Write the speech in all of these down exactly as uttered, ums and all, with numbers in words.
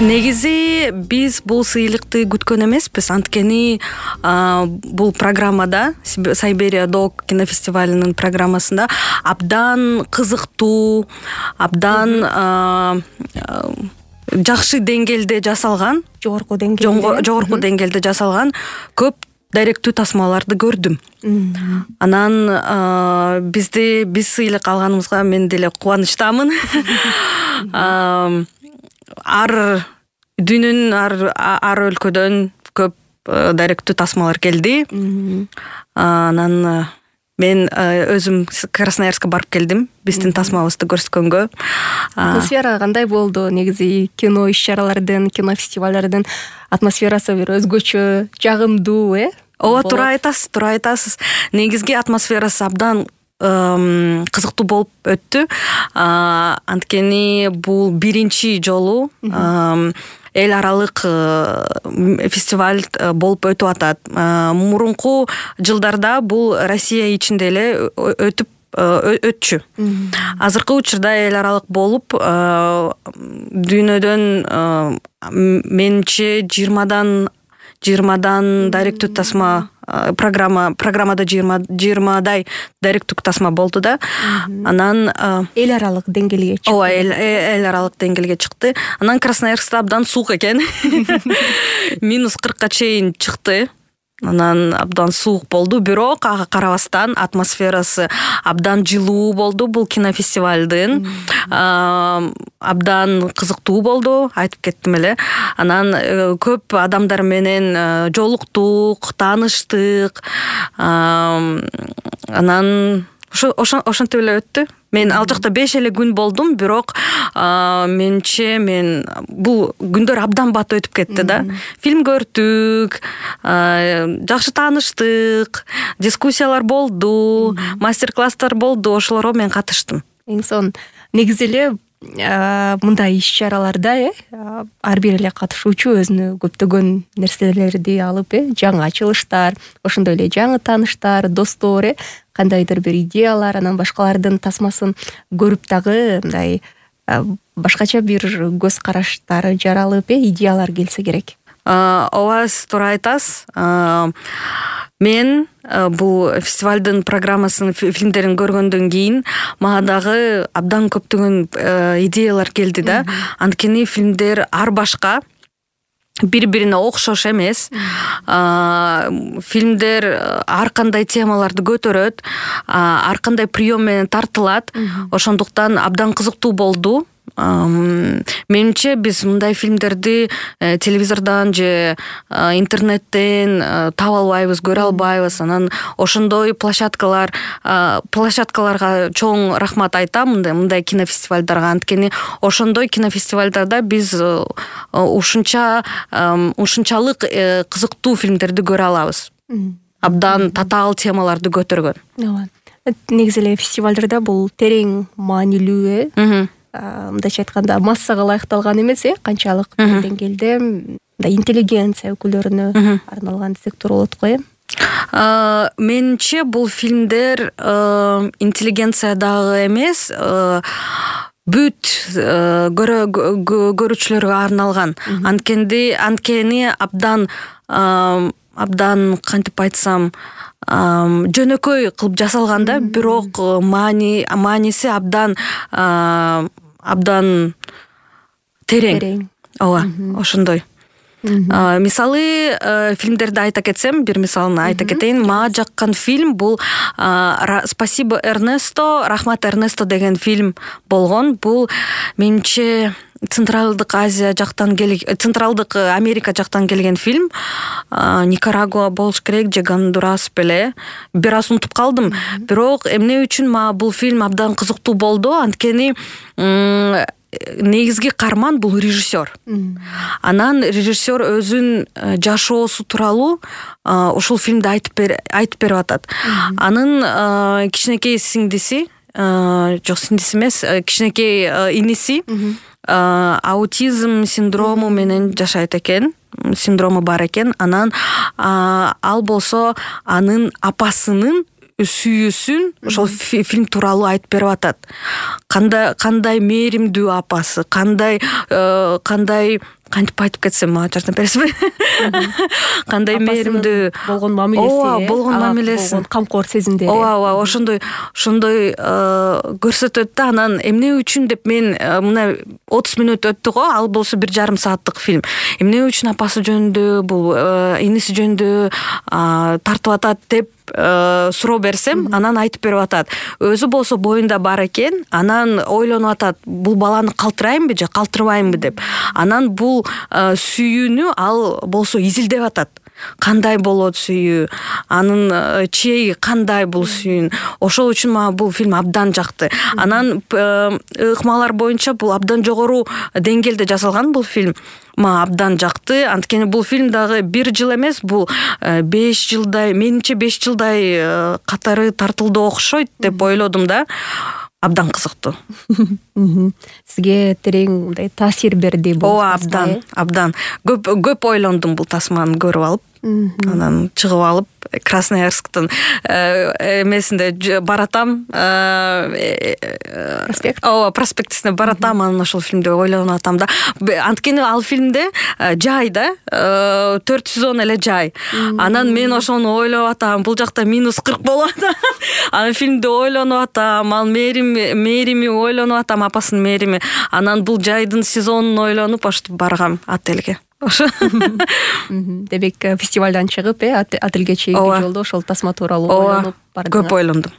Негизи биз бул сыйлыкты күткөн эмеспиз. Анткени бул программада, Сайберия Док кинофестивалынын программасында абдан кызыктуу, абдан жакшы деңгээлде жасалган, жогорку деңгээлде жогорку деңгээлде жасалган көп даректүү тасмаларды көрдүм. Анан бизди биз сыйлык алганыбызга мен деле кубанычтамын. Ар дүйнөнүн ар ар өлкөдөн көп даректүү тасмалар келди. Анан мен өзүм Красноярска барып келдим, биздин тасмабызды көрсөткөнгө. Атмосфера кандай болду? Негизи кино иш-чаралардын, кино фестивалдардын атмосферасы бир өзгөчө, жагымдуу, э? Ооба, туура айтасыз, туура айтасыз. Негизги атмосферасы абдан кызыктуу болуп өттү. Анткени бул биринчи жолу эл аралык фестиваль болуп өтүп атат. Мурунку жылдарда бул Россия ичинде эле өтүп өтчү. Азыркы учурда эл аралык болуп, дүйнөдөн менче жыйырмадан жыйырмадан даректүү тасма программа программада жыйырмадай даректүү тасма болду да. Анан эл аралык деңгээлге чыкты. Ооба, эл аралык деңгээлге чыкты. Анан Красноярскта абдан суук экен. минус кыркка чейин чыкты. Анан абдан суук болду, бирок ага карабастан атмосферасы абдан жылуу болду бул кинофестивалдын. Абдан кызыктуу болду, айтып кеттим эле. Анан көп адамдар менен жолуктук, тааныштык. Анан ошентип эле өттү. Мен ал жакта беш эле күн болдум, бирок менче мен бул күндөр абдан бат өтүп кетти да. Фильм көрдүк, жакшы тааныштык, дискуссиялар болду, мастер-класстар болду, ошолорго мен катыштым. Эң сонун. Негизи эле мындай иш-чараларда, э, ар бир эле катышуучу өзүнө көптөгөн нерселерди алып, э, жаңы ачылыштар, ошондой эле жаңы тааныштар, достор, э, кандайдыр бир идеялар, анан башкалардын тасмасын көрүп дагы мындай башкача бир көз караштары жаралып, э, идеялар келсе керек. Ооба, сиз туура айтасыз. Мен бул фестивалдын программасын, фильмдерин көргөндөн кийин мага дагы абдан көптөгөн идеялар келди да. Анткени фильмдер ар башка, бири-бирине окшош эмес. Фильмдер ар кандай темаларды көтөрөт, ар кандай прием менен тартылат. Ошондуктан абдан кызыктуу болду. Менимче биз мындай фильмдерди телевизордон же интернеттен таба албайбыз, көрө албайбыз. Анан ошондой площадкалар площадкаларга чоң рахмат айтам, мындай мындай кинофестивалдарга. Анткени ошондой кинофестивалдарда биз ушунча ушунчалык кызыктуу фильмдерди көрө алабыз. Абдан татаал темаларды көтөргөн. Ооба. Негизи эле фестивалдарда бул терең маанилүү, э? Мындайча айтканда массага ылайыкталган эмес, э, канчалык деңгээлде мындай интеллигенция өкүлдөрүнө арналган сектор болот го, э? Менимче бул фильмдер интеллигенция дагы эмес, бүт көрүүчүлөргө арналган. Анткени анткени абдан абдан кантип айтсам, жөнөкөй кылып жасалган да, бирок маани мааниси абдан абдан терең. Ооба, ошондой. Мисалы, фильмдерди айта кетсем, бир мисалын айта кетейин. Мага жаккан фильм бул «Спасибо, Эрнесто», «Рахмат, Эрнесто» деген фильм болгон. Бул менимче Централдык Азия жактан келген, Централдык Америка жактан келген фильм. Никарагуа болуш керек же Гондурас беле. Бир аз унутуп калдым. Бирок эмне үчүн мага бул фильм абдан кызыктуу болду? Анткени негизги каарман бул режиссер. Анан режиссер өзүнүн жашоосу тууралуу ушул фильмди айтып айтып берип атат. Анын кичинекей сиңдиси, жок сиңдиси эмес, кичинекей иниси аутизм синдрому менен жашайт экен, синдрому бар экен. Анан ал болсо анын апасынын сүйүүсүн ошол фильм тууралуу айтып берип атат. Кандай кандай мээримдүү апасы, кандай кандай кантип айтып кетсем мага жардам бересизби? Кандай мээримдүү болгон мамилеси, ооба болгон мамилеси, болгон камкор сезимдери, ооба ооба ошондой ошондой көрсөтөт да. Анан эмне үчүн деп мен мына отуз мүнөт өттү го, ал болсо бир жарым сааттык фильм. Эмне үчүн апасы жөнүндө, бул иниси жөнүндө тартып атат деп суроо берсем, анан айтып берип атат. Өзү болсо боюнда бар экен, анан ойлонуп атат, бул баланы калтырайынбы же калтырбайынбы деп. Анан бул сүйүүнү ал болсо изилдеп атат. Кандай болот сүйүү, анын чеги кандай бул сүйүүнүн. Ошол үчүн мага бул фильм абдан жакты. Анан ыкмалар боюнча бул абдан жогору деңгээлде жасалган бул фильм. Мага абдан жакты. Анткени бул фильм дагы бир жыл эмес, бул беш жылдай, менимче беш жылдай катары тартылды окшойт деп ойлодум да. Абдан кызыктуу. Сизге терең мындай таасир берди бул? Ооба, абдан, абдан. Көп көп ойлондум бул тасманы көрүп алып. Анан чыгып алып Красноярсктын эмесинде баратам, проспект. Ооба, проспектисине баратам, анан ошол фильмди ойлонуп атам да. Анткени ал фильмде жай да, төрт сезон эле жай. Анан мен ошону ойлоп атам, бул жакта минус кырк болуп атат. Анан фильмди ойлонуп атам, ал мээрим мээрими ойлонуп атам, апасынын мээрими. Анан бул жайдын сезонун ойлонуп ошентип баргам отельге. Демек фестивалдан чыгып, э, отелге чейинки жолдо ошол тасма тууралуу ойлонуп бардыңыз. Көп ойлондум.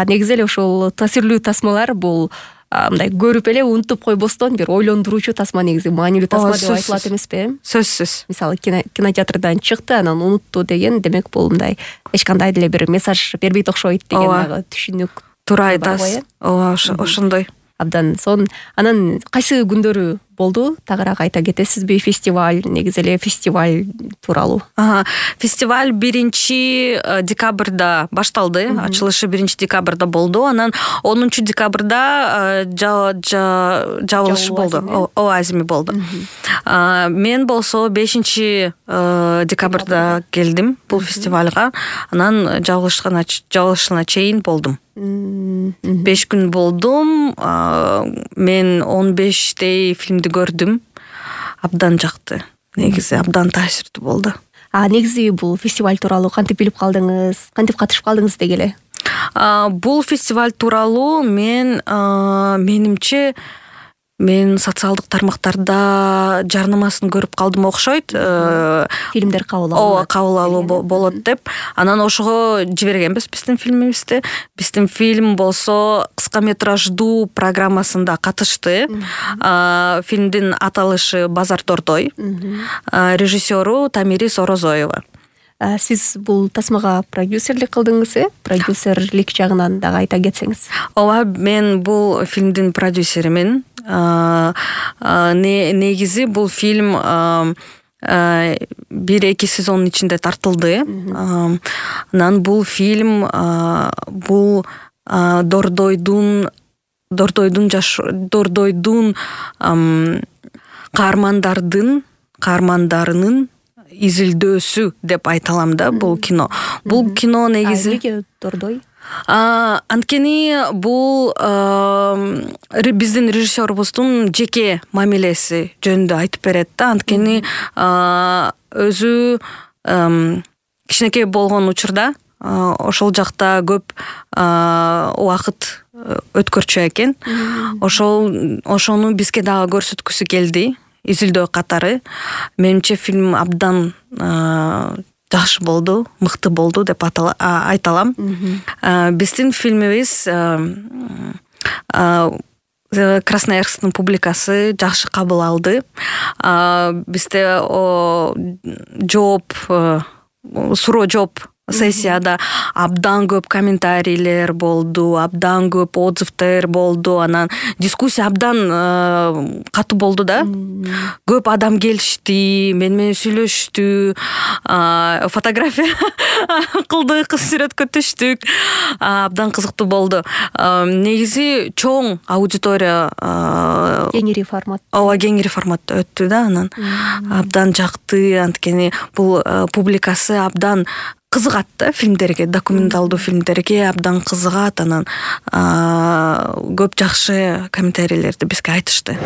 Негизи эле ошол таасирлүү тасмалар бул мындай көрүп эле унутуп койбостон бир ойлондуруучу тасма, негизи маанилүү тасма деп айтылат эмеспи? Сөзсүз. Мисалы кинотеатрдан чыкты, анан унутту деген, демек бул мындай эч кандай деле бир мессаж бербейт окшойт деген дагы түшүнүк. Туура айтасыз. Ооба, ошондой. Абдан. Сон анан кайсы күндөрү болду? Тагыраак айта кетесизби? Фестиваль, негизи эле фестиваль тууралуу. Фестиваль биринчи декабрда башталды. Ачылышы биринчи декабрда болду. Анан онунчу декабрда жабылышы болду. Ооба, азими болду. Мен болсо бешинчи декабрда келдим бул фестивалга. Анан жабылышына чейин болдум. Беш күн болдум. Мен он бештей фильмди көрдүм. Абдан жакты. Негизи абдан таасирдүү болду. А негизи бул фестиваль тууралуу кантип билип калдыңыз? Кантип катышып калдыңыз деги эле? Бул фестиваль тууралуу мен менимче мен социалдык тармактарда жарнамасын көрүп калдым окшойт. Фильмдер кабыл алуу. Ооба, кабыл алуу болот деп. Анан ошого жибергенбиз биздин фильмибизди. Биздин фильм болсо кыска метраждуу программасында катышты. Фильмдин аталышы Базар Дордой. Режиссеру Тамирис Орозоева. Сиз бул тасмага продюсерлик кылдыңыз, э? Продюсерлик жагынан дагы айта кетсеңиз. Ооба, мен бул фильмдин продюсеримин. Негизи бул фильм бир эки сезондун ичинде тартылды. Анан бул фильм бул Дордойдун Дордойдун жаш Дордойдун каармандардын каармандарынын изилдөөсү деп айта алам да бул кино. Бул кино негизи Эмнеге Дордой? Анткени бул биздин режиссерубуздун жеке мамилеси жөнүндө айтып берет да. Анткени өзү кичинекей болгон учурда ошол жакта көп убакыт өткөрчү экен. Ошол ошону бизге дагы көрсөткүсү келди. Изилдөө катары. Менимче фильм абдан жакшы болду, мыкты болду деп айта алам. Биздин фильмибиз Красноярсктын публикасы жакшы кабыл алды. Бизде жооп, суроо жооп сессияда абдан көп комментарийлер болду, абдан көп отзывтер болду, анан дискуссия абдан катуу болду да. Көп адам келишти, мен менен сүйлөштү, фотография кылдык, сүрөткө түштүк. Абдан кызыктуу болду. Негизи чоң аудитория, кеңири формат. Ооба, кеңири форматта өттү да, анан абдан жакты. Анткени бул публикасы абдан кызыгат да фильмдерге, документалдуу фильмдерге абдан кызыгат. Анан көп жакшы комментарийлерди бизге айтышты.